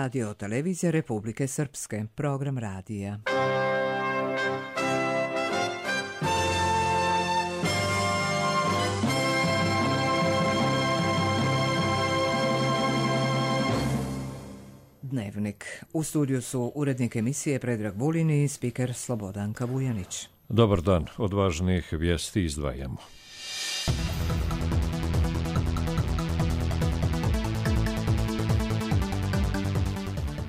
Radio televizije Republike Srpske, program radija. Dnevnik. U studiju su urednik emisije Predrag Vulin i spiker Slobodanka Vujanić. Dobar dan, od važnih vijesti izdvajamo.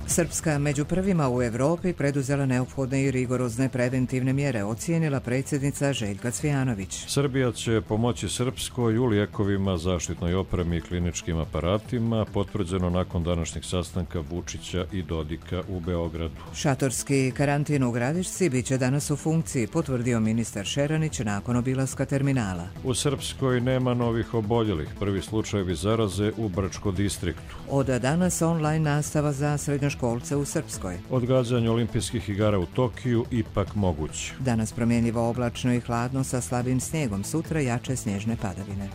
Srpska među prvima u Evropi preduzela neophodne i rigorozne preventivne mjere, ocijenila predsjednica Željka Cvijanović. Srbija će pomoći Srpskoj u lijekovima, zaštitnoj opremi i kliničkim aparatima, potvrđeno nakon današnjeg sastanka Vučića i Dodika u Beogradu. Šatorski karantin u Gradišci biće danas u funkciji, potvrdio ministar Šeranić nakon obilaska terminala. U Srpskoj nema novih oboljelih, prvi slučajevi zaraze u Brčko distriktu. Od danas online nastava za srednjoškolce u Srpskoj. Odgađanje olimpijskih igara u Tokiju ipak moguće. Danas promjenjivo oblačno i hladno sa slabim snijegom, sutra jače snježne padavine.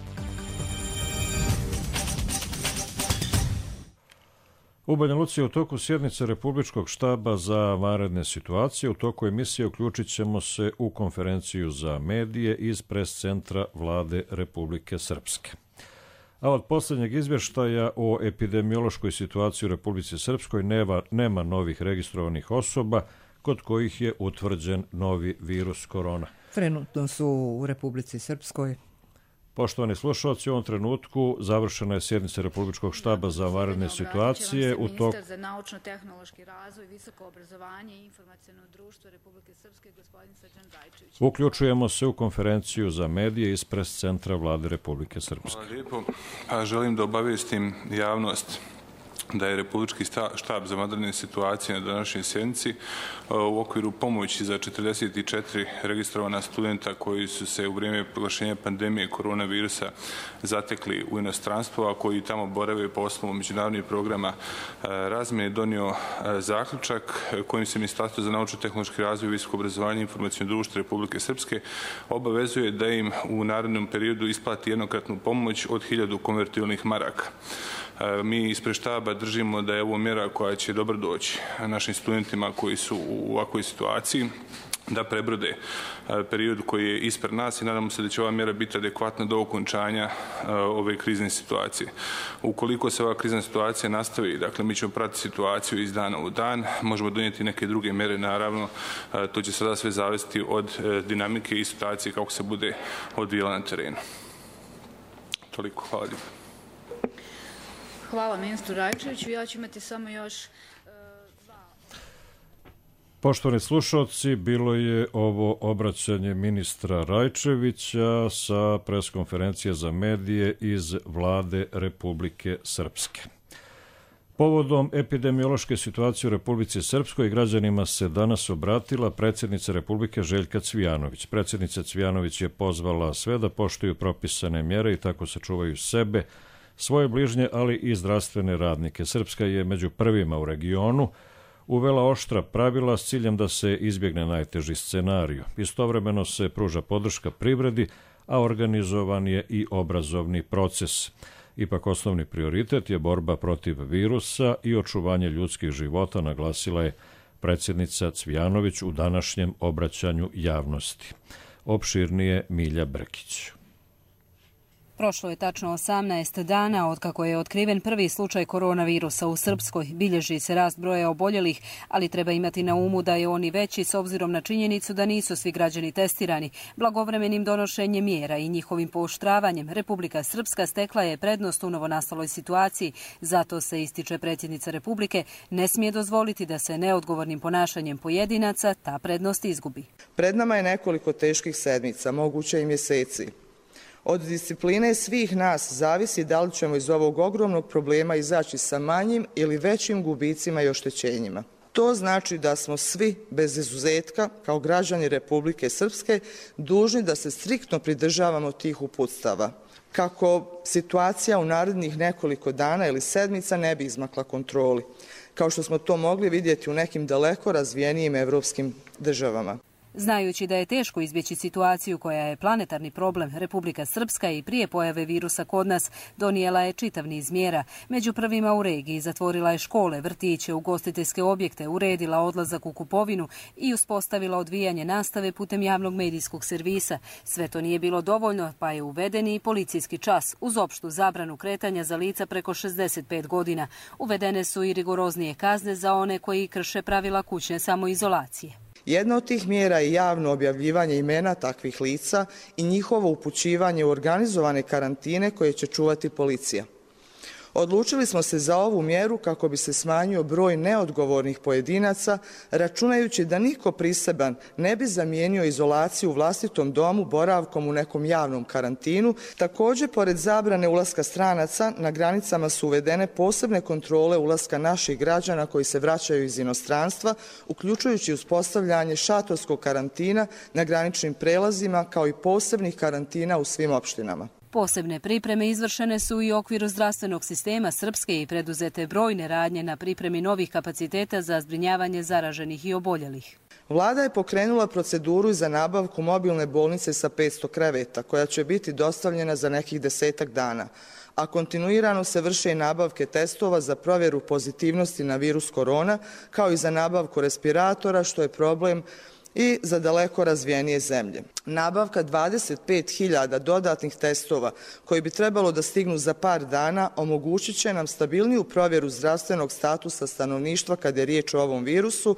U Banja Luci je u toku sjednice Republičkog štaba za vanredne situacije. U toku emisije uključit ćemo se u konferenciju za medije iz pres centra Vlade Republike Srpske. A od posljednjeg izvještaja o epidemiološkoj situaciji u Republici Srpskoj nema novih registrovanih osoba kod kojih je utvrđen novi virus korona. Trenutno su u Republici Srpskoj. Poštovani slušalci, u ovom trenutku završena je sjednica Republičkog štaba za vanredne situacije. Ministar za naučno-tehnološki razvoj, visoko obrazovanje i informaciono društvo Republike Srpske, gospodin Srđan Rajčević. Uključujemo se u konferenciju za medije iz pres centra Vlade Republike Srpske. Hvala lijepo. Želim da obavijestim javnost da je Republički štab za vanredne situacije na današnjoj sjednici u okviru pomoći za 44 registrovana studenta koji su se u vrijeme proglašenja pandemije koronavirusa zatekli u inostranstvu, a koji tamo borave po osnovu međunarodnih programa razmjene, donio zaključak kojim se Ministarstvo za naučno-tehnološki razvoj, visoko obrazovanje i informaciono društvo Republike Srpske obavezuje da im u narednom periodu isplati jednokratnu pomoć od 1000 konvertibilnih maraka. Mi ispred štaba držimo da je ovo mjera koja će dobro doći našim studentima koji su u ovakvoj situaciji, da prebrode period koji je ispred nas i nadamo se da će ova mjera biti adekvatna do okončanja ove krizne situacije. Ukoliko se ova krizna situacija nastavi, dakle mi ćemo pratiti situaciju iz dana u dan, možemo donijeti neke druge mjere, naravno, to će sada sve zavisiti od dinamike i situacije kako se bude odvijala na terenu. Toliko, hvala lijepo. Hvala ministru Rajčeviću. Ja ću imati samo još dva. Poštovani slušalci, bilo je ovo obraćanje ministra Rajčevića sa preskonferencije za medije iz Vlade Republike Srpske. Povodom epidemiološke situacije u Republici Srpskoj građanima se danas obratila predsjednica Republike Željka Cvijanović. Predsjednica Cvijanović je pozvala sve da poštuju propisane mjere i tako sačuvaju sebe, svoje bližnje, ali i zdravstvene radnike. Srpska je među prvima u regionu uvela oštra pravila s ciljem da se izbjegne najteži scenarij. Istovremeno se pruža podrška privredi, a organizovan je i obrazovni proces. Ipak osnovni prioritet je borba protiv virusa i očuvanje ljudskih života, naglasila je predsjednica Cvijanović u današnjem obraćanju javnosti. Opširnije Milja Brkić. Prošlo je tačno 18 dana od kako je otkriven prvi slučaj koronavirusa u Srpskoj. Bilježi se rast broja oboljelih, ali treba imati na umu da je on i veći s obzirom na činjenicu da nisu svi građani testirani. Blagovremenim donošenjem mjera i njihovim pooštravanjem Republika Srpska stekla je prednost u novonastaloj situaciji. Zato se, ističe predsjednica Republike, ne smije dozvoliti da se neodgovornim ponašanjem pojedinaca ta prednost izgubi. Pred nama je nekoliko teških sedmica, moguće i mjeseci. Od discipline svih nas zavisi da li ćemo iz ovog ogromnog problema izaći sa manjim ili većim gubicima i oštećenjima. To znači da smo svi, bez izuzetka, kao građani Republike Srpske, dužni da se striktno pridržavamo tih uputstava, kako situacija u narednih nekoliko dana ili sedmica ne bi izmakla kontroli, kao što smo to mogli vidjeti u nekim daleko razvijenijim evropskim državama. Znajući da je teško izbjeći situaciju koja je planetarni problem, Republika Srpska i prije pojave virusa kod nas donijela je čitav niz mjera. Među prvima u regiji zatvorila je škole, vrtiće, ugostiteljske objekte, uredila odlazak u kupovinu i uspostavila odvijanje nastave putem javnog medijskog servisa. Sve to nije bilo dovoljno, pa je uveden i policijski čas uz opštu zabranu kretanja za lica preko 65 godina. Uvedene su i rigoroznije kazne za one koji krše pravila kućne samoizolacije. Jedna od tih mjera je javno objavljivanje imena takvih lica i njihovo upućivanje u organizovane karantine koje će čuvati policija. Odlučili smo se za ovu mjeru kako bi se smanjio broj neodgovornih pojedinaca, računajući da niko priseban ne bi zamijenio izolaciju u vlastitom domu boravkom u nekom javnom karantinu. Također, pored zabrane ulaska stranaca, na granicama su uvedene posebne kontrole ulaska naših građana koji se vraćaju iz inostranstva, uključujući uspostavljanje šatorskog karantina na graničnim prelazima, kao i posebnih karantina u svim opštinama. Posebne pripreme izvršene su i u okviru zdravstvenog sistema Srpske i preduzete brojne radnje na pripremi novih kapaciteta za zbrinjavanje zaraženih i oboljelih. Vlada je pokrenula proceduru za nabavku mobilne bolnice sa 500 kreveta, koja će biti dostavljena za nekih 10-ak dana, a kontinuirano se vrše i nabavke testova za provjeru pozitivnosti na virus korona, kao i za nabavku respiratora, što je problem i za daleko razvijenije zemlje. Nabavka 25.000 dodatnih testova koji bi trebalo da stignu za par dana omogućit će nam stabilniju provjeru zdravstvenog statusa stanovništva kad je riječ o ovom virusu.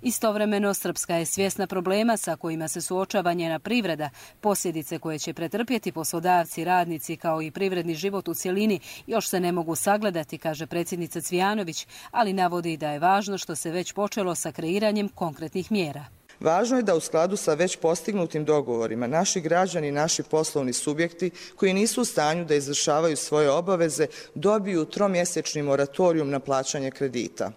Istovremeno, Srpska je svjesna problema sa kojima se suočava njena privreda, posljedice koje će pretrpjeti poslodavci, radnici kao i privredni život u cjelini još se ne mogu sagledati, kaže predsjednica Cvijanović, ali navodi da je važno što se već počelo sa kreiranjem konkretnih mjera. Važno je da u skladu sa već postignutim dogovorima naši građani i naši poslovni subjekti koji nisu u stanju da izvršavaju svoje obaveze dobiju tromjesečni moratorijum na plaćanje kredita.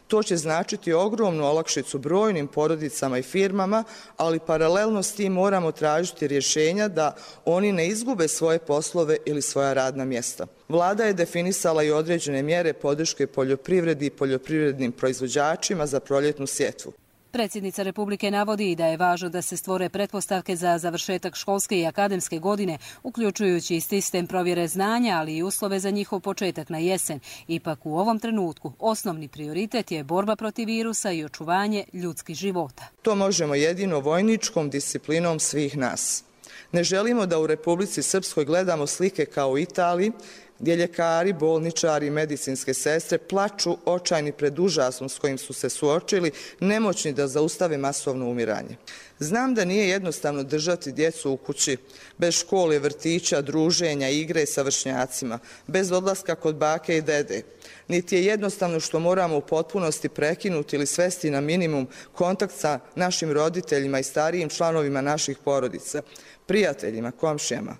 To će značiti ogromnu olakšicu brojnim porodicama i firmama, ali paralelno s tim moramo tražiti rješenja da oni ne izgube svoje poslove ili svoja radna mjesta. Vlada je definisala i određene mjere podrške poljoprivredi i poljoprivrednim proizvođačima za proljetnu sjetvu. Predsjednica Republike navodi i da je važno da se stvore pretpostavke za završetak školske i akademske godine, uključujući i sistem provjere znanja, ali i uslove za njihov početak na jesen. Ipak u ovom trenutku osnovni prioritet je borba protiv virusa i očuvanje ljudskih života. To možemo jedino vojničkom disciplinom svih nas. Ne želimo da u Republici Srpskoj gledamo slike kao u Italiji, gdje ljekari, bolničari i medicinske sestre plaču očajni pred užasom s kojim su se suočili, nemoćni da zaustave masovno umiranje. Znam da nije jednostavno držati djecu u kući, bez škole, vrtića, druženja, igre sa vršnjacima, bez odlaska kod bake i dede. Niti je jednostavno što moramo u potpunosti prekinuti ili svesti na minimum kontakt sa našim roditeljima i starijim članovima naših porodica, prijateljima, komšijama.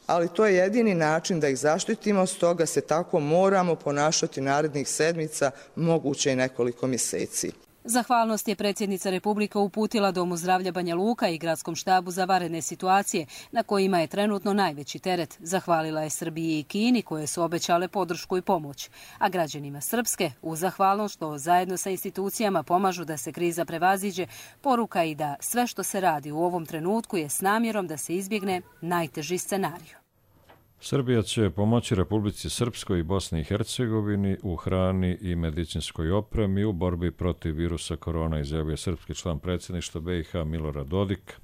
Ali to je jedini način da ih zaštitimo, stoga se tako moramo ponašati narednih sedmica, moguće i nekoliko mjeseci. Zahvalnost je predsjednica Republike uputila Domu zdravlja Banja Luka i Gradskom štabu za vanredne situacije, na kojima je trenutno najveći teret. Zahvalila je Srbiji i Kini, koje su obećale podršku i pomoć. A građanima Srpske, uz zahvalnost što zajedno sa institucijama pomažu da se kriza prevaziđe, poruka i da sve što se radi u ovom trenutku je s namjerom da se izbjegne najteži scenarij. Srbija će pomoći Republici Srpskoj i Bosni i Hercegovini u hrani i medicinskoj opremi u borbi protiv virusa korona, izjavio srpski član predsjedništva BiH Milorad Dodik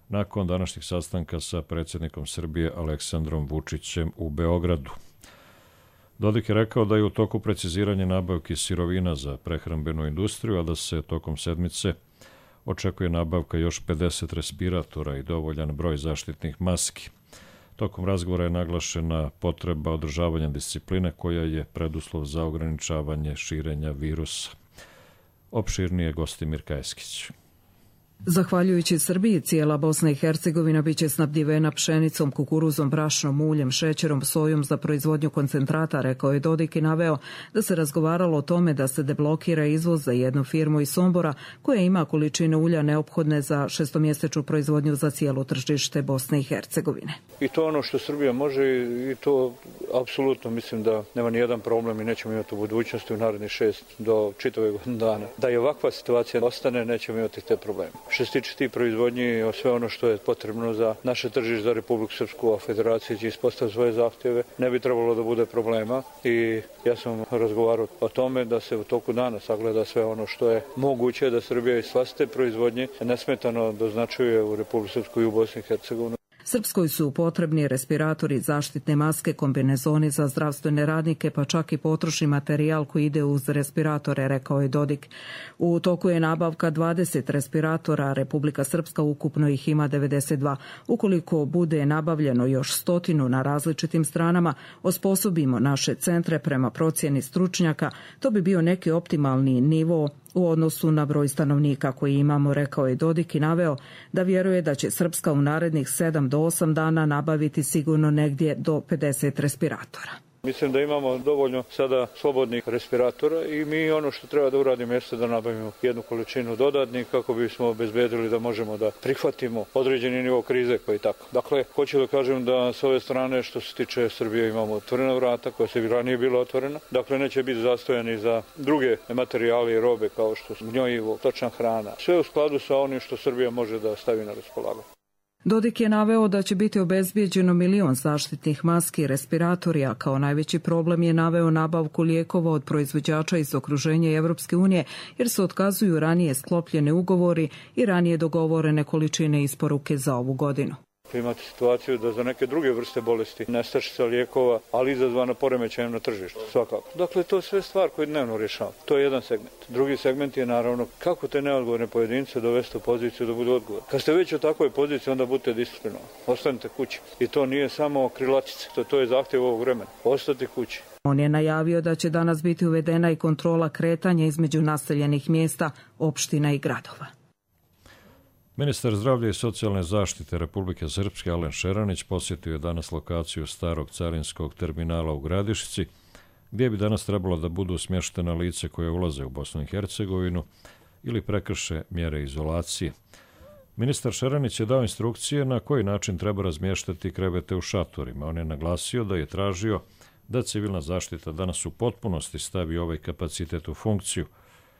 nakon današnjeg sastanka sa predsjednikom Srbije Aleksandrom Vučićem u Beogradu. Dodik je rekao da je u toku preciziranje nabavki sirovina za prehrambenu industriju, a da se tokom sedmice očekuje nabavka još 50 respiratora i dovoljan broj zaštitnih maski. Tokom razgovora je naglašena potreba održavanja discipline koja je preduslov za ograničavanje širenja virusa. Opširnije Gostimir Kajeskić. Zahvaljujući Srbiji, cijela Bosna i Hercegovina biće snabdjevena pšenicom, kukuruzom, brašnom, uljem, šećerom, sojom za proizvodnju koncentrata, rekao je Dodik i naveo da se razgovaralo o tome da se deblokira izvoz za jednu firmu iz Sombora koja ima količine ulja neophodne za šestomjesečnu proizvodnju za cijelo tržište Bosne i Hercegovine. I to ono što Srbija može i to apsolutno mislim da nema nijedan problem i nećemo imati u budućnosti u narednih 6 do čitave godine dana. Da je ovakva situacija ostane, nećemo imati te probleme. Što se tiče tih proizvodnji, sve ono što je potrebno za naše tržište, za Republiku Srpsku, a Federacija će ispostaviti svoje zahtjeve, ne bi trebalo da bude problema i ja sam razgovarao o tome da se u toku dana sagleda sve ono što je moguće da Srbija iz vlastite proizvodnje nesmetano doznačuje u Republiku Srpsku i u Bosni i Hercegovini. Srpskoj su potrebni respiratori, zaštitne maske, kombinezoni za zdravstvene radnike, pa čak i potrošni materijal koji ide uz respiratore, rekao je Dodik. U toku je nabavka 20 respiratora, Republika Srpska ukupno ih ima 92. Ukoliko bude nabavljeno još 100 na različitim stranama, osposobimo naše centre prema procjeni stručnjaka, to bi bio neki optimalni nivo u odnosu na broj stanovnika koji imamo, rekao je Dodik i naveo da vjeruje da će Srpska u narednih 7 do 8 dana nabaviti sigurno negdje do 50 respiratora. Mislim da imamo dovoljno sada slobodnih respiratora i mi ono što treba da uradimo jeste da nabavimo jednu količinu dodatnih kako bismo obezbedili da možemo da prihvatimo određeni nivo krize koji tako. Dakle, hoću da kažem da s ove strane što se tiče Srbije imamo otvorena vrata koja se ranije bila otvorena. Dakle, neće biti zastojani za druge materijale i robe kao što su gnjojivo, stočna hrana. Sve u skladu sa onim što Srbija može da stavi na raspolaganje. Dodik je naveo da će biti obezbijeđeno 1 milion zaštitnih maski i respiratori, a kao najveći problem je naveo nabavku lijekova od proizvođača iz okruženja Evropske unije, jer se otkazuju ranije sklopljene ugovori i ranije dogovorene količine isporuke za ovu godinu. Imate situaciju da za neke druge vrste bolesti nestašica lijekova, ali izazvana poremećajem na tržištu, svakako. Dakle, to je sve stvar koju dnevno rješava. To je jedan segment. Drugi segment je naravno kako te neodgovorne pojedince dovesti u poziciju da budu odgovorni. Kad ste već u takvoj poziciji, onda budete disciplinovani. Ostanite kući. I to nije samo krilatice, to je zahtjev ovog vremena. Ostati kući. On je najavio da će danas biti uvedena i kontrola kretanja između naseljenih mjesta, opština i gradova. Ministar zdravlja i socijalne zaštite Republike Srpske Alen Šeranić posjetio je danas lokaciju starog carinskog terminala u Gradišci, gdje bi danas trebalo da budu smještena lice koje ulaze u Bosnu i Hercegovinu ili prekrše mjere izolacije. Ministar Šeranić je dao instrukcije na koji način treba razmještati krevete u šatorima. On je naglasio da je tražio da civilna zaštita danas u potpunosti stavi ovaj kapacitet u funkciju.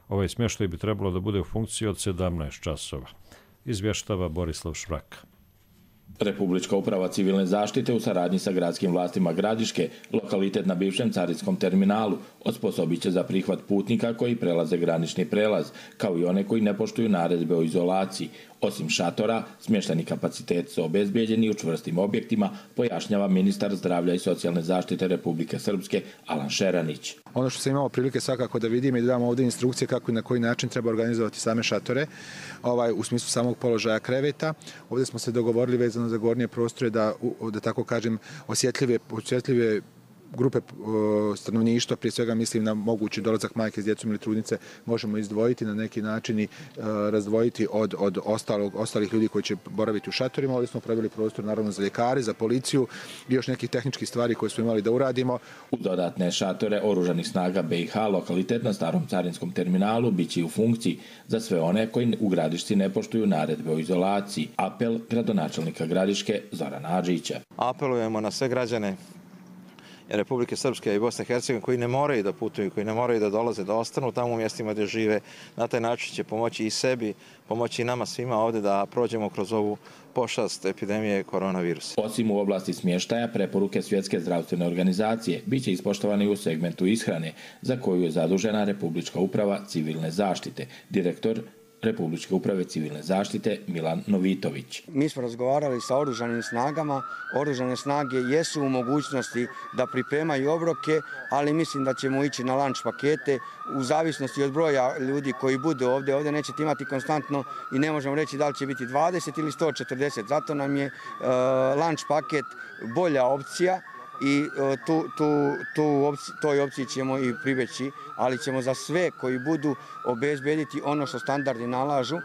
Ovaj smještaj bi trebalo da bude u funkciji od 17 časova. Izvještava Borislav Švraka. Republička uprava civilne zaštite u saradnji sa gradskim vlastima Gradiške, lokalitet na bivšem carinskom terminalu, osposobit će za prihvat putnika koji prelaze granični prelaz, kao i one koji ne poštuju naredbe o izolaciji. Osim šatora, smješteni kapacitet su obezbijeđeni u čvrstim objektima, pojašnjava ministar zdravlja i socijalne zaštite Republike Srpske Alen Šeranić. Ono što sam imao prilike svakako da vidim i da damo ovdje instrukcije kako i na koji način treba organizovati same šatore, u smislu samog položaja kreveta. Ovdje smo se dogovorili vezano za gornje prostore da tako kažem, osjetljive grupe stanovništva, prije svega mislim na mogući dolazak majke s djecom ili trudnice, možemo izdvojiti na neki način i razdvojiti od ostalih ljudi koji će boraviti u šatorima. Ovdje smo pravili prostor naravno za ljekare, za policiju i još nekih tehničkih stvari koje smo imali da uradimo. U dodatne šatore Oružanih snaga BiH, lokalitet na starom carinskom terminalu, bit će u funkciji za sve one koji u Gradišci ne poštuju naredbe o izolaciji. Apel gradonačelnika Gradiške Zorana Adžića. Apelujemo na sve građane Republike Srpske i Bosne i Hercegovine koji ne moraju da putuju, koji ne moraju da dolaze, da ostanu tamo u mjestima gdje žive. Na taj način će pomoći i sebi, pomoći i nama svima ovdje da prođemo kroz ovu pošast epidemije koronavirusa. Osim u oblasti smještaja, preporuke Svjetske zdravstvene organizacije bit će ispoštovane i u segmentu ishrane, za koju je zadužena Republička uprava civilne zaštite. Direktor Republičke uprave civilne zaštite Milan Novitović. Mi smo razgovarali sa oružanim snagama. Oružane snage jesu u mogućnosti da pripremaju obroke, ali mislim da ćemo ići na lunch pakete u zavisnosti od broja ljudi koji budu ovdje. Ovdje nećete imati konstantno i ne možemo reći da li će biti 20 ili 140. Zato nam je lunch paket bolja opcija i toj opciji ćemo i pribjeći, ali ćemo za sve koji budu obezbediti ono što standardi nalažu.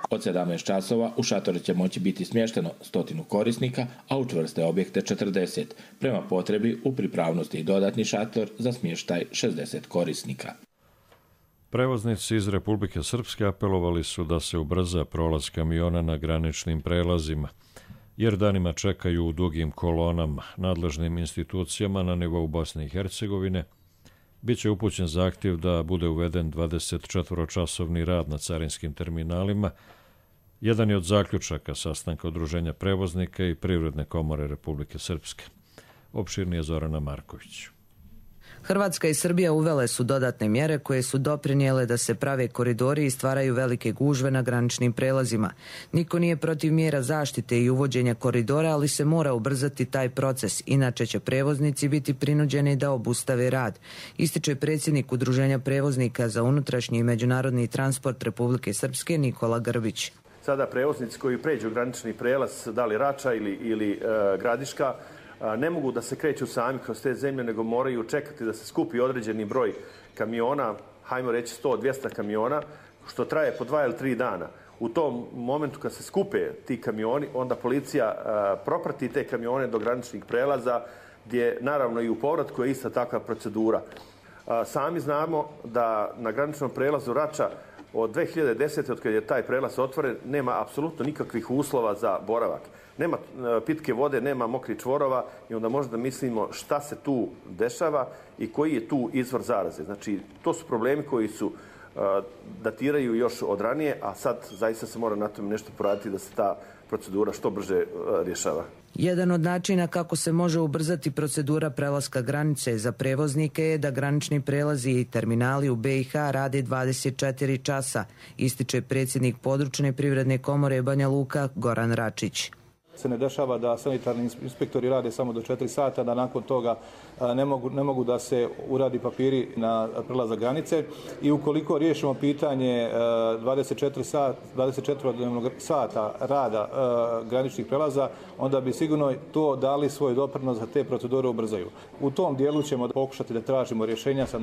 Od 17 časova u šatore će moći biti smješteno 100 korisnika, a u čvrste objekte 40. Prema potrebi u pripravnosti i dodatni šator za smještaj 60 korisnika. Prevoznici iz Republike Srpske apelovali su da se ubrza prolaz kamiona na graničnim prelazima, jer danima čekaju u dugim kolonama. Nadležnim institucijama na nivou Bosne i Hercegovine biće upućen zahtjev da bude uveden 24-časovni rad na carinskim terminalima Jedan je od zaključaka sastanka Udruženja prevoznika i Privredne komore Republike Srpske. Opširnije Zorana Marković. Hrvatska i Srbija uvele su dodatne mjere koje su doprinijele da se prave koridori i stvaraju velike gužve na graničnim prelazima. Niko nije protiv mjera zaštite i uvođenja koridora, ali se mora ubrzati taj proces, inače će prevoznici biti prinuđeni da obustave rad, ističe predsjednik Udruženja prevoznika za unutrašnji i međunarodni transport Republike Srpske Nikola Grbić. Sada prevoznici koji pređu granični prelaz, da li Rača ili Gradiška, ne mogu da se kreću sami kroz te zemlje, nego moraju čekati da se skupi određeni broj kamiona, hajmo reći 100-200 kamiona, što traje po 2 ili 3 dana. U tom momentu kad se skupe ti kamioni, onda policija proprati te kamione do graničnih prelaza, gdje naravno i u povratku je ista takva procedura. Sami znamo da na graničnom prelazu Rača od 2010. od kada je taj prelaz otvoren, nema apsolutno nikakvih uslova za boravak. Nema pitke vode, nema mokrih čvorova i onda možda mislimo šta se tu dešava i koji je tu izvor zaraze. Znači, to su problemi koji su datiraju još od ranije, a sad zaista se mora na tome nešto poraditi da se ta procedura što brže rješava. Jedan od načina kako se može ubrzati procedura prelaska granice za prevoznike je da granični prelazi i terminali u BiH rade 24 časa, ističe predsjednik područne privredne komore Banja Luka Goran Račić. Se ne dešava da sanitarni inspektori rade samo do 4 sata, da nakon toga ne mogu da se uradi papiri na prelazak granice i ukoliko riješimo pitanje 24 sata rada graničnih prelaza, onda bi sigurno to dali svoj doprinos da te procedure ubrzaju. U tom dijelu ćemo pokušati da tražimo rješenja sa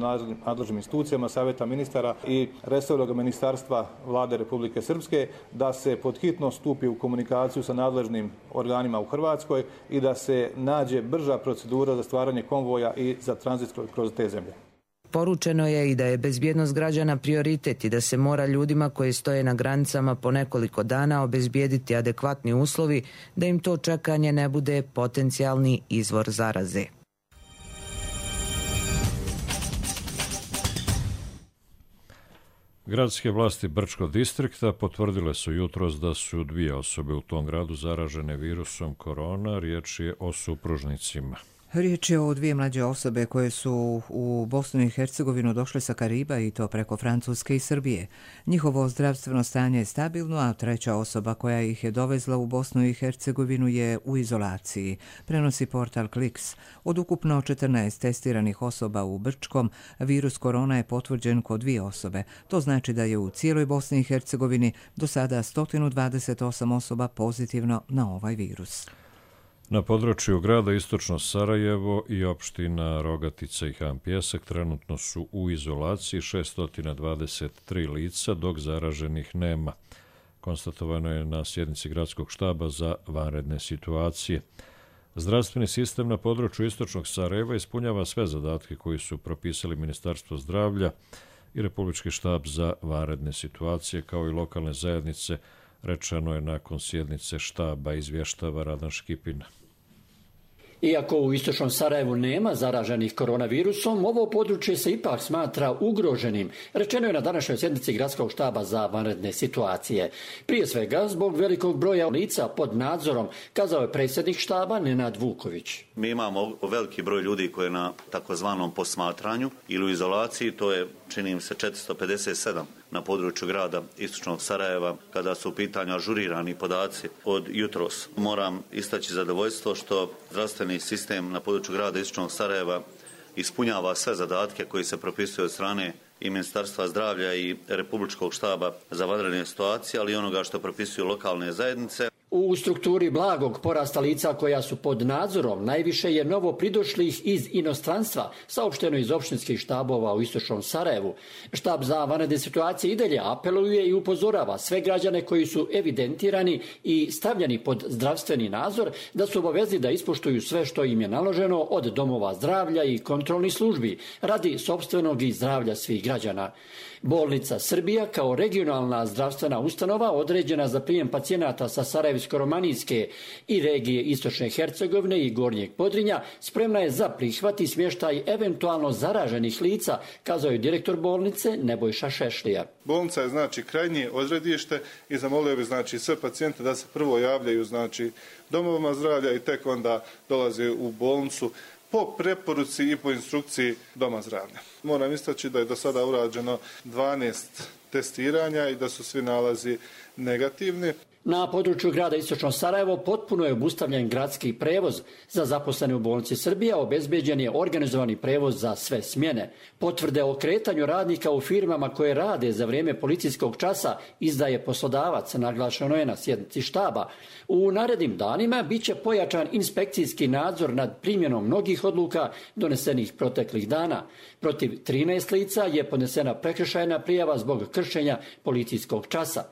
nadležnim institucijama, Savjeta ministara i resornog ministarstva Vlade Republike Srpske da se pod hitno stupi u komunikaciju sa nadležnim organima u Hrvatskoj i da se nađe brža procedura za stvaranje konvoja i za tranzit kroz te zemlje. Poručeno je i da je bezbjednost građana prioritet i da se mora ljudima koji stoje na granicama po nekoliko dana obezbijediti adekvatni uslovi da im to čekanje ne bude potencijalni izvor zaraze. Gradske vlasti Brčkog distrikta potvrdile su jutros da su 2 osobe u tom gradu zaražene virusom korona. Riječ je o supružnicima. Riječ je o 2 mlađe osobe koje su u Bosnu i Hercegovinu došle sa Kariba i to preko Francuske i Srbije. Njihovo zdravstveno stanje je stabilno, a 3. osoba koja ih je dovezla u Bosnu i Hercegovinu je u izolaciji, prenosi portal Kliks. Od ukupno 14 testiranih osoba u Brčkom, virus korona je potvrđen kod 2 osobe. To znači da je u cijeloj Bosni i Hercegovini do sada 128 osoba pozitivno na ovaj virus. Na području grada Istočno Sarajevo i opština Rogatica i Han Pjesak trenutno su u izolaciji 623 lica, dok zaraženih nema. Konstatovano je na sjednici gradskog štaba za vanredne situacije. Zdravstveni sistem na području Istočnog Sarajeva ispunjava sve zadatke koji su propisali Ministarstvo zdravlja i Republički štab za vanredne situacije, kao i lokalne zajednice, rečeno je nakon sjednice štaba, izvještava Radan Škipin. Iako u Istočnom Sarajevu nema zaraženih koronavirusom, ovo područje se ipak smatra ugroženim, rečeno je na današnjoj sjednici gradskog štaba za vanredne situacije. Prije svega, zbog velikog broja lica pod nadzorom, kazao je predsjednik štaba Nenad Vuković. Mi imamo veliki broj ljudi koji je na takozvanom posmatranju ili u izolaciji, to je, čini mi se, 457 na području grada Istočnog Sarajeva, kada su u pitanju ažurirani podaci od jutros. Moram istaći zadovoljstvo što zdravstveni sistem na području grada Istočnog Sarajeva ispunjava sve zadatke koji se propisuju od strane i Ministarstva zdravlja i Republičkog štaba za vanredne situacije, ali i onoga što propisuju lokalne zajednice. U strukturi blagog porasta lica koja su pod nadzorom najviše je novo pridošlih iz inostranstva, saopšteno iz opštinskih štabova u Istočnom Sarajevu. Štab za vanredne situacije i dalje apeluje i upozorava sve građane koji su evidentirani i stavljeni pod zdravstveni nadzor da su obavezni da ispoštuju sve što im je naloženo od domova zdravlja i kontrolnih službi radi sopstvenog i zdravlja svih građana. Bolnica Srbija kao regionalna zdravstvena ustanova određena za prijem pacijenata sa sarajevskim Sarajevsko-romanijske i regije Istočne Hercegovine i Gornjeg Podrinja spremna je za prihvat i smještaj eventualno zaraženih lica, kazao je direktor bolnice Nebojša Šešlija. Bolnica je znači krajnje odredište i zamolio bi znači sve pacijente da se prvo javljaju znači domovima zdravlja i tek onda dolaze u bolnicu po preporuci i po instrukciji doma zdravlja. Moram istaći da je do sada urađeno 12 testiranja i da su svi nalazi negativni. Na području grada Istočno Sarajevo potpuno je obustavljen gradski prevoz. Za zaposlene u bolnici Srbija obezbeđen je organizovani prevoz za sve smjene. Potvrde o kretanju radnika u firmama koje rade za vrijeme policijskog časa izdaje poslodavac, naglašeno je na sjednici štaba. U narednim danima bit će pojačan inspekcijski nadzor nad primjenom mnogih odluka donesenih proteklih dana. Protiv 13 lica je podnesena prekršajna prijava zbog kršenja policijskog časa.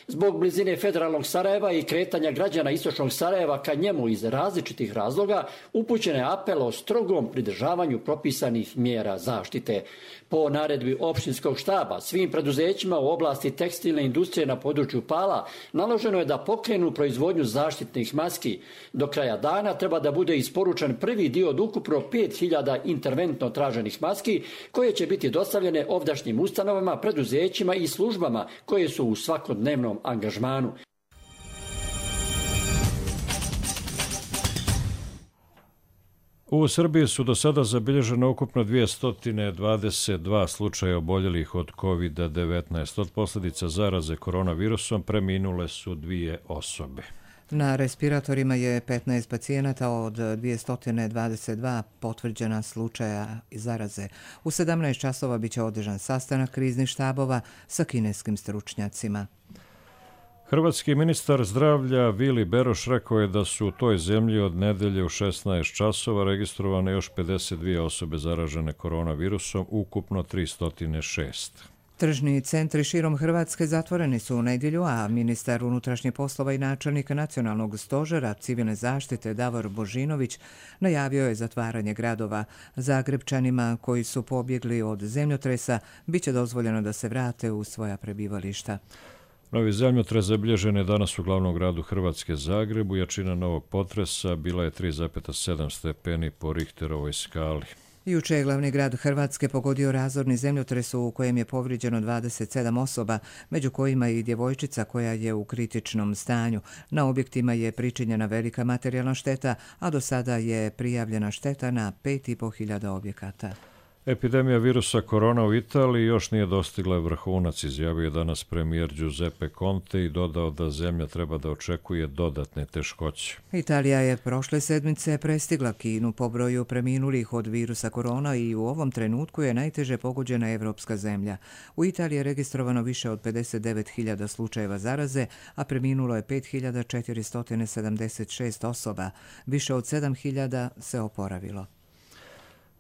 Zbog blizine federalnog Sarajeva i kretanja građana Istočnog Sarajeva ka njemu iz različitih razloga upućen je apel o strogom pridržavanju propisanih mjera zaštite. Po naredbi opštinskog štaba svim preduzećima u oblasti tekstilne industrije na području Pala naloženo je da pokrenu proizvodnju zaštitnih maski. Do kraja dana treba da bude isporučen prvi dio od ukupno 5000 interventno traženih maski koje će biti dostavljene ovdašnjim ustanovama, preduzećima i službama koje su u svakodnevnom angažmanu. U Srbiji su do sada zabilježeno ukupno 222 slučaja oboljelih od COVID-19. Od posljedica zaraze koronavirusom preminule su 2 osobe. Na respiratorima je 15 pacijenata od 222 potvrđena slučaja zaraze. U 17 časova biće održan sastanak kriznih štabova sa kineskim stručnjacima. Hrvatski ministar zdravlja Vili Beroš rekao je da su u toj zemlji od nedelje u 16 časova registrovane još 52 osobe zaražene koronavirusom, ukupno 306. Tržni centri širom Hrvatske zatvoreni su u nedjelju, a ministar unutrašnjih poslova i načelnik Nacionalnog stožera civilne zaštite Davor Božinović najavio je zatvaranje gradova. Zagrebčanima koji su pobjegli od zemljotresa biće dozvoljeno da se vrate u svoja prebivališta. Novi zemljotres zabilježen je danas u glavnom gradu Hrvatske Zagrebu. Jačina novog potresa bila je 3,7 stepeni po Richterovoj skali. Juče je glavni grad Hrvatske pogodio razorni zemljotres u kojem je povrijeđeno 27 osoba, među kojima i djevojčica koja je u kritičnom stanju. Na objektima je pričinjena velika materijalna šteta, a do sada je prijavljena šteta na 5.500 objekata. Epidemija virusa korona u Italiji još nije dostigla vrhunac, izjavio je danas premijer Giuseppe Conte i dodao da zemlja treba da očekuje dodatne teškoće. Italija je prošle sedmice prestigla Kinu po broju preminulih od virusa korona i u ovom trenutku je najteže pogođena evropska zemlja. U Italiji je registrovano više od 59.000 slučajeva zaraze, a preminulo je 5.476 osoba. Više od 7.000 se oporavilo.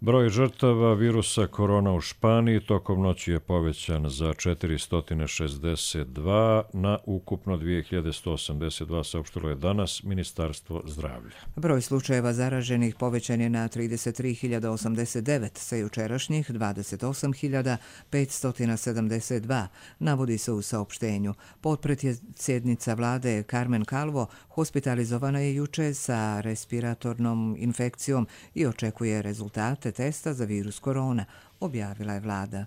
Broj žrtava virusa korona u Španiji tokom noći je povećan za 462 na ukupno 2182, saopštilo je danas Ministarstvo zdravlja. Broj slučajeva zaraženih povećan je na 33.089 sa jučerašnjih 28.572, navodi se u saopštenju. Potpredsjednica vlade Carmen Calvo hospitalizovana je juče sa respiratornom infekcijom i očekuje rezultate testa za virus korona, objavila je vlada.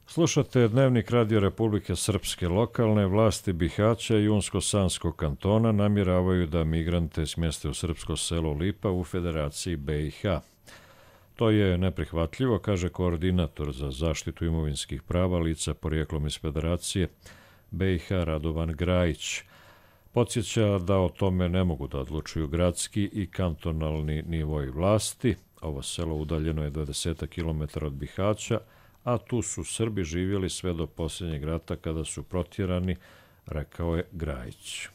Slušate Dnevnik Radio Republike Srpske. Lokalne vlasti Bihaća i Unsko-Sanskog kantona namjeravaju da migrante smjeste u srpsko selo Lipa u Federaciji BiH. To je neprihvatljivo, kaže koordinator za zaštitu imovinskih prava lica porijeklom iz Federacije BiH Radovan Grajić. Podsjeća da o tome ne mogu da odlučuju gradski i kantonalni nivoi vlasti. Ovo selo udaljeno je 20 km od Bihaća, a tu su Srbi živjeli sve do posljednjeg rata kada su protjerani, rekao je Grajić.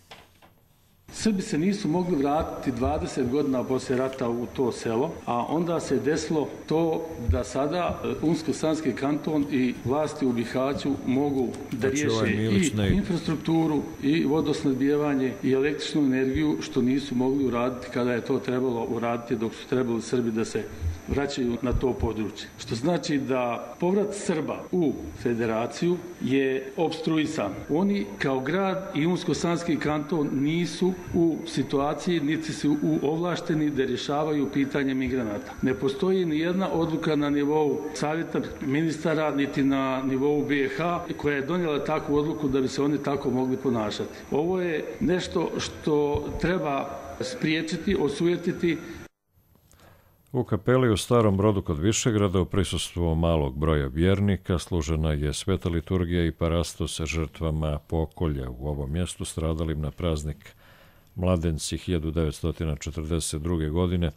Srbi se nisu mogli vratiti 20 godina poslije rata u to selo, a onda se desilo to da sada Unsko-Sanski kanton i vlasti u Bihaću mogu da riješe i infrastrukturu i vodosnadbijevanje i električnu energiju, što nisu mogli uraditi kada je to trebalo uraditi dok su trebali Srbi da se vraćaju na to područje. Što znači da povrat Srba u federaciju je opstruisan. Oni kao grad i Unsko-sanski kanton nisu u situaciji, niti su ovlašteni da rješavaju pitanje migranata. Ne postoji ni jedna odluka na nivou savjeta ministara, niti na nivou BiH koja je donijela takvu odluku da bi se oni tako mogli ponašati. Ovo je nešto što treba spriječiti, osujetiti. U kapeli u Starom Brodu kod Višegrada u prisustvu malog broja vjernika služena je sveta liturgija i parasto sa žrtvama pokolja u ovom mjestu stradalim na praznik Mladenci 1942. godine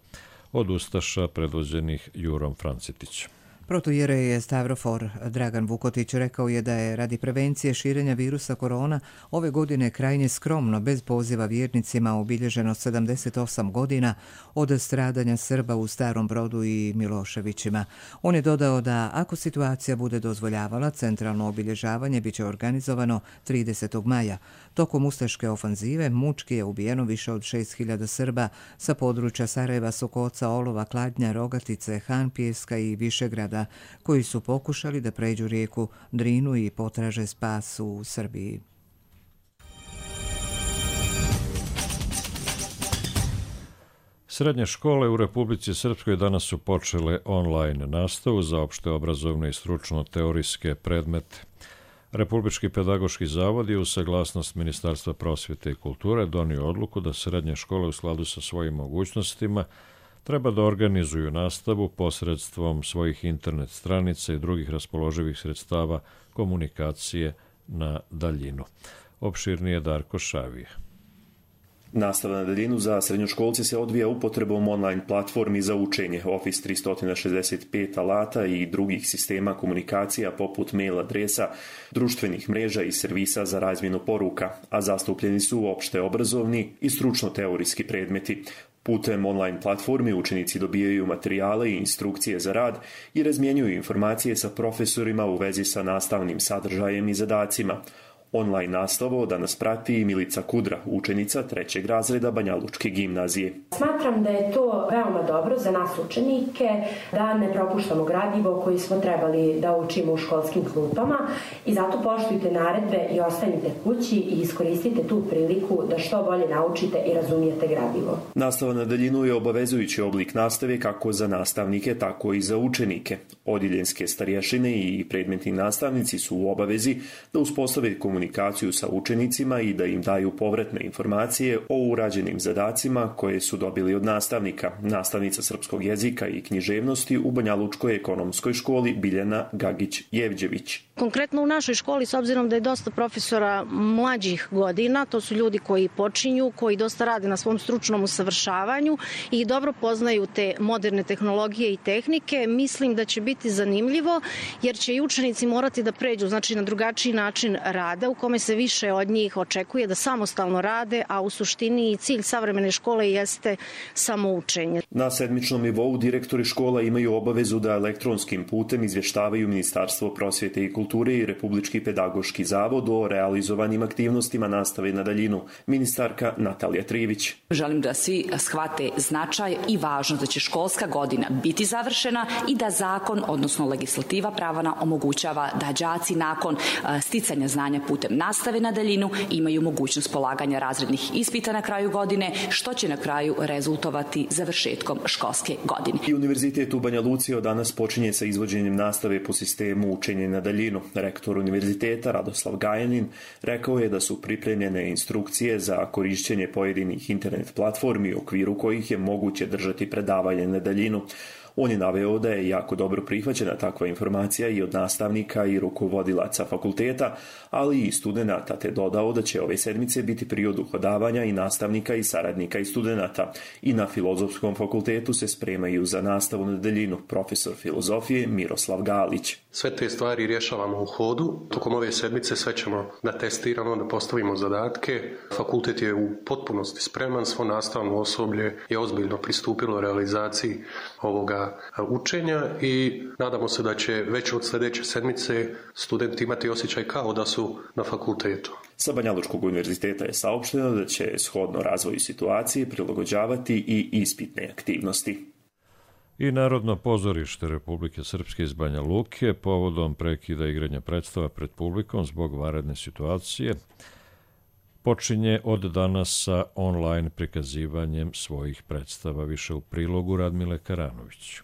od ustaša predvođenih Jurom Francetićem. Protoijerej Stavrofor Dragan Vukotić rekao je da je radi prevencije širenja virusa korona ove godine krajnje skromno, bez poziva vjernicima, obilježeno 78 godina od stradanja Srba u Starom Brodu i Miloševićima. On je dodao da ako situacija bude dozvoljavala, centralno obilježavanje biće organizovano 30. maja. Tokom ustaške ofanzive mučki je ubijeno više od 6.000 Srba sa područja Sarajeva, Sokoca, Olova, Kladnja, Rogatice, Hanpijeska i Višegrada, koji su pokušali da pređu rijeku Drinu i potraže spas u Srbiji. Srednje škole u Republici Srpskoj danas su počele online nastavu za opšte obrazovne i stručno-teorijske predmete. Republički pedagoški zavod je uz saglasnost Ministarstva prosvjete i kulture donio odluku da srednje škole u skladu sa svojim mogućnostima treba da organizuju nastavu posredstvom svojih internet stranica i drugih raspoloživih sredstava komunikacije na daljinu. Opširnije Darko Šavije. Nastava na daljinu za srednjoškolce se odvija upotrebom online platformi za učenje Office 365 alata i drugih sistema komunikacija poput mail adresa, društvenih mreža i servisa za razmjenu poruka, a zastupljeni su opšte obrazovni i stručno-teorijski predmeti. Putem online platformi učenici dobijaju materijale i instrukcije za rad i razmjenjuju informacije sa profesorima u vezi sa nastavnim sadržajem i zadacima. Online nastavu danas prati Milica Kudra, učenica 3. razreda Banjalučke gimnazije. Smatram da je to veoma dobro za nas učenike, da ne propuštamo gradivo koji smo trebali da učimo u školskim klupama i zato poštujte naredbe i ostanite kući i iskoristite tu priliku da što bolje naučite i razumijete gradivo. Nastava na daljinu je obavezujući oblik nastave kako za nastavnike, tako i za učenike. Odjeljenske starješine i predmetni nastavnici su u obavezi da uspostave komunikaciju sa učenicima i da im daju povratne informacije o urađenim zadacima koje su dobili od nastavnika. Nastavnica srpskog jezika i književnosti u Banjalučkoj ekonomskoj školi Biljana Gagić-Jevđević. Konkretno u našoj školi, s obzirom da je dosta profesora mlađih godina, to su ljudi koji počinju, koji dosta rade na svom stručnom usavršavanju i dobro poznaju te moderne tehnologije i tehnike, mislim da će biti zanimljivo jer će i učenici morati da pređu na drugačiji način rada u kome se više od njih očekuje da samostalno rade, a u suštini cilj savremene škole jeste samoučenje. Na sedmičnom nivou direktori škola imaju obavezu da elektronskim putem izvještavaju Ministarstvo prosvjete i kulture i Republički pedagoški zavod o realizovanim aktivnostima nastave na daljinu. Ministarka Natalija Trivić. Želim da svi shvate značaj i važnost da će školska godina biti završena i da zakon, odnosno legislativa pravana, omogućava da đaci nakon sticanja znanja putem nastave na daljinu imaju mogućnost polaganja razrednih ispita na kraju godine, što će na kraju rezultovati završetkom školske godine. I Univerzitet u Banja Luci od danas počinje sa izvođenjem nastave po sistemu učenja na daljinu. Rektor univerziteta Radoslav Gajanin rekao je da su pripremljene instrukcije za korišćenje pojedinih internet platformi u okviru kojih je moguće držati predavanje na daljinu. On je naveo da je jako dobro prihvaćena takva informacija i od nastavnika i rukovodilaca fakulteta, ali i studenata, te dodao da će ove sedmice biti period uhodavanja i nastavnika i saradnika i studenata. I na Filozofskom fakultetu se spremaju za nastavu na daljinu profesor filozofije Miroslav Galić. Sve te stvari rješavamo u hodu. Tokom ove sedmice sve ćemo da testiramo, da postavimo zadatke. Fakultet je u potpunosti spreman, svo nastavno osoblje je ozbiljno pristupilo realizaciji ovoga učenja i nadamo se da će već od sljedeće sedmice studenti imati osjećaj kao da su na fakultetu. Sa Banjalučkog univerziteta je saopšteno da će shodno razvoju situacije prilagođavati i ispitne aktivnosti. I Narodno pozorište Republike Srpske iz Banja Luke povodom prekida igranja predstava pred publikom zbog vanredne situacije počinje od danas sa online prikazivanjem svojih predstava. Više u prilogu Radmile Karanović.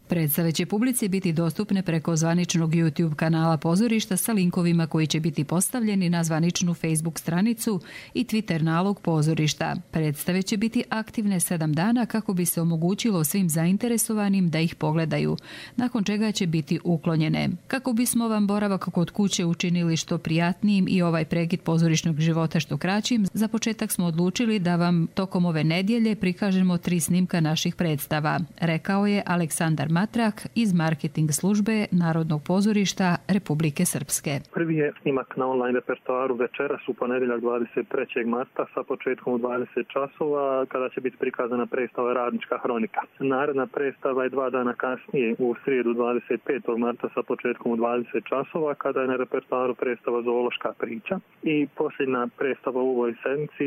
Predstave će publici biti dostupne preko zvaničnog YouTube kanala pozorišta sa linkovima koji će biti postavljeni na zvaničnu Facebook stranicu i Twitter nalog pozorišta. Predstave će biti aktivne 7 dana kako bi se omogućilo svim zainteresovanim da ih pogledaju, nakon čega će biti uklonjene. Kako bismo vam boravak kod kuće učinili što prijatnijim i ovaj prekid pozorišnog života što kraćim, za početak smo odlučili da vam tokom ove nedjelje prikažemo 3 snimka naših predstava, rekao je Aleksandar Matrak iz marketing službe Narodnog pozorišta Republike Srpske. Prvi je snimak na online repertoaru večeras u ponedjeljak 23. marta sa početkom u 20 časova kada će biti prikazana predstava Radnička hronika. Naredna predstava je 2 dana kasnije u srijedu 25. marta sa početkom u 20 časova kada je na repertoaru predstava Zoološka priča. I posljedna predstava u ovoj sedmici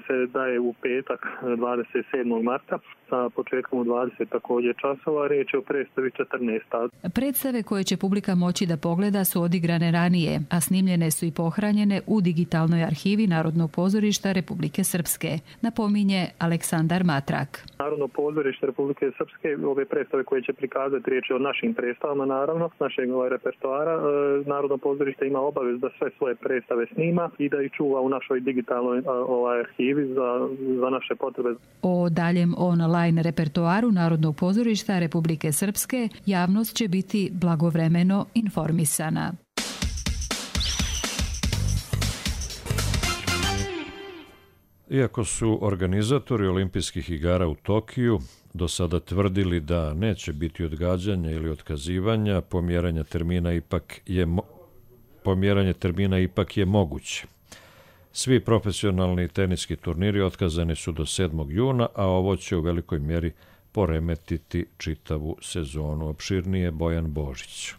se daje u petak 27. marta sa početkom u 20 također časova. Riječ je o predstavi 14. Predstave koje će publika moći da pogleda su odigrane ranije, a snimljene su i pohranjene u digitalnoj arhivi Narodnog pozorišta Republike Srpske, napominje Aleksandar Matrak. Narodno pozorište Republike Srpske, ove predstave koje će prikazati, riječ je o našim predstavama, naravno, našeg repertoara. Narodno pozorište ima obavez da sve svoje predstave snima i da ih čuva u našoj digitalnoj arhivi za naše potrebe. O daljem online repertoaru Narodnog pozorišta Republike Srpske javnost će biti blagovremeno informisana. Iako su organizatori olimpijskih igara u Tokiju do sada tvrdili da neće biti odgađanja ili otkazivanja, pomjeranje termina ipak je moguće. Svi profesionalni teniski turniri otkazani su do 7. juna, a ovo će u velikoj mjeri poremetiti čitavu sezonu. Opširnije Bojan Božić.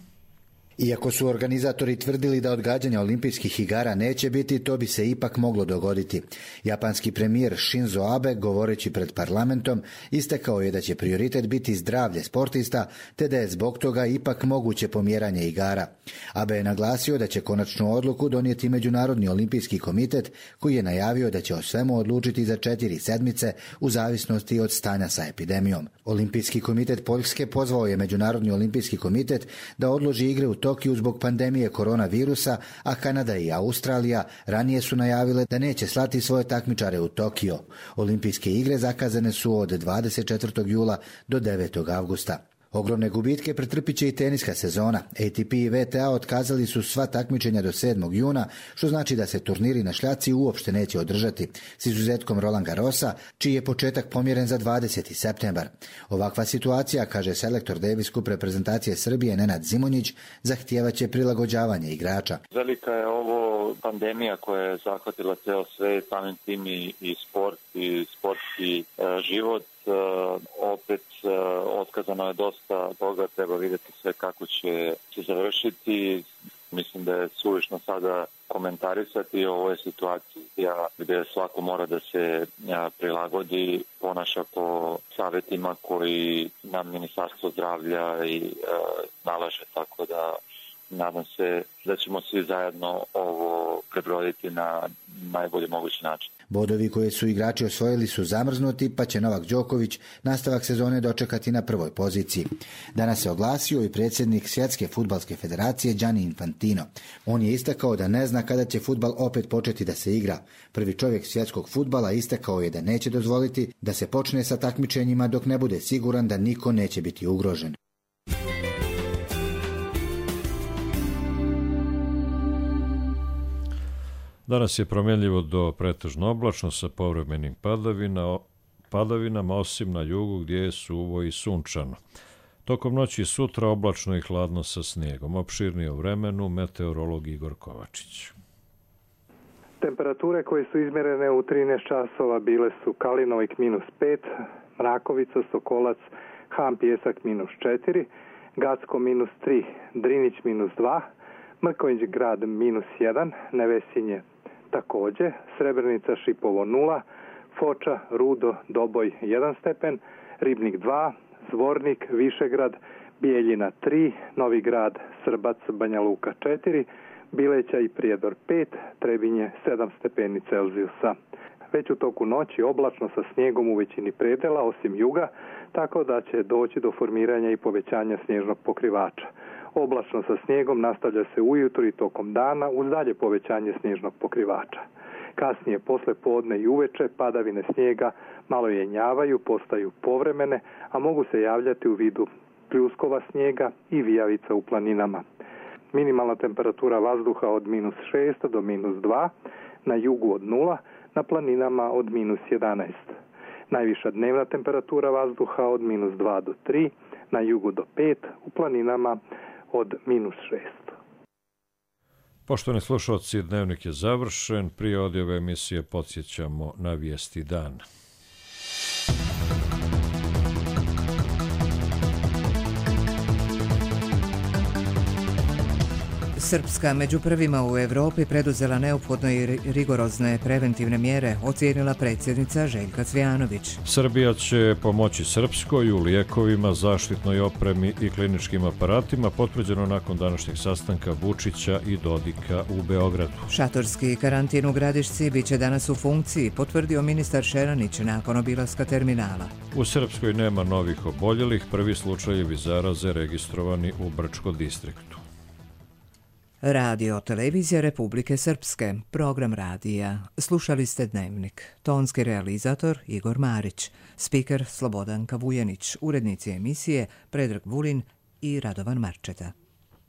Iako su organizatori tvrdili da odgađanja olimpijskih igara neće biti, to bi se ipak moglo dogoditi. Japanski premijer Shinzo Abe, govoreći pred parlamentom, istakao je da će prioritet biti zdravlje sportista, te da je zbog toga ipak moguće pomjeranje igara. Abe je naglasio da će konačnu odluku donijeti Međunarodni olimpijski komitet, koji je najavio da će o svemu odlučiti za 4 sedmice u zavisnosti od stanja sa epidemijom. Olimpijski komitet Poljske pozvao je Međunarodni olimpijski komitet da odloži igre u Tokiju zbog pandemije koronavirusa, a Kanada i Australija ranije su najavile da neće slati svoje takmičare u Tokio. Olimpijske igre zakazane su od 24. jula do 9. avgusta. Ogromne gubitke pretrpit će i teniska sezona. ATP i WTA otkazali su sva takmičenja do 7. juna, što znači da se turniri na šljaci uopšte neće održati, s izuzetkom Roland Garrosa, čiji je početak pomjeren za 20. septembar. Ovakva situacija, kaže selektor Davis Cup reprezentacije Srbije Nenad Zimonjić, zahtijevaće prilagođavanje igrača. Velika je ovo pandemija koja je zahvatila ceo svet, samim tim i sport i sportski život. Opet otkazano je dosta toga, treba vidjeti sve kako će se završiti. Mislim da je suvišno sada komentarisati, ovo je situacija gdje svako mora da se prilagodi, ponaša po savjetima koji nam Ministarstvo zdravlja i nalaže, tako da nadam se da ćemo svi zajedno ovo prebroditi na najbolji mogući način. Bodovi koje su igrači osvojili su zamrznuti, pa će Novak Đoković nastavak sezone dočekati na prvoj poziciji. Danas se oglasio i predsjednik Svjetske fudbalske federacije Gianni Infantino. On je istakao da ne zna kada će fudbal opet početi da se igra. Prvi čovjek svjetskog fudbala istakao je da neće dozvoliti da se počne sa takmičenjima dok ne bude siguran da niko neće biti ugrožen. Danas je promjenljivo do pretežno oblačno sa povremenim padavinama, osim na jugu gdje je suvo i sunčano. Tokom noći i sutra oblačno i hladno sa snijegom. Opširnije o vremenu meteorolog Igor Kovačić. Temperature koje su izmjerene u 13 časova bile su Kalinovik -5, Mrakovica, Sokolac, Han Pjesak -4, Gacko -3, Drinić -2, Mrkonjić grad -1, Nevesinje također, Srebrenica Šipovo 0, Foča, Rudo, Doboj 1 stepen, Ribnik 2, Zvornik, Višegrad, Bijeljina 3, Novi Grad, Srbac, Banja Luka 4, Bileća i Prijedor 5, Trebinje 7 stepeni Celzijusa. Već u toku noći oblačno sa snijegom u većini predela, osim juga, tako da će doći do formiranja i povećanja snježnog pokrivača. Oblačno sa snijegom nastavlja se ujutro i tokom dana uz dalje povećanje snježnog pokrivača. Kasnije, posle podne i uveče, padavine snijega malo jenjavaju, postaju povremene, a mogu se javljati u vidu pljuskova snijega i vijavica u planinama. Minimalna temperatura vazduha od -6 do -2, na jugu od 0, na planinama od -11. Najviša dnevna temperatura vazduha od -2 do 3, na jugu do 5, u planinama od -6. Poštovani slušalci, dnevnik je završen. Prije odjave emisije podsjećamo na vijesti dana. Srpska među prvima u Evropi preduzela neophodne i rigorozne preventivne mjere, ocijenila predsjednica Željka Cvijanović. Srbija će pomoći Srpskoj u lijekovima, zaštitnoj opremi i kliničkim aparatima, potvrđeno nakon današnjeg sastanka Vučića i Dodika u Beogradu. Šatorski karantin u Gradišci biće danas u funkciji, potvrdio ministar Šeranić nakon obilaska terminala. U Srpskoj nema novih oboljelih, prvi slučajevi zaraze registrovani u Brčko distriktu. Radio Televizija Republike Srpske, program radija. Slušali ste Dnevnik. Tonski realizator Igor Marić, spiker Slobodanka Vujanić, urednici emisije Predrag Vulin i Radovan Marčeta.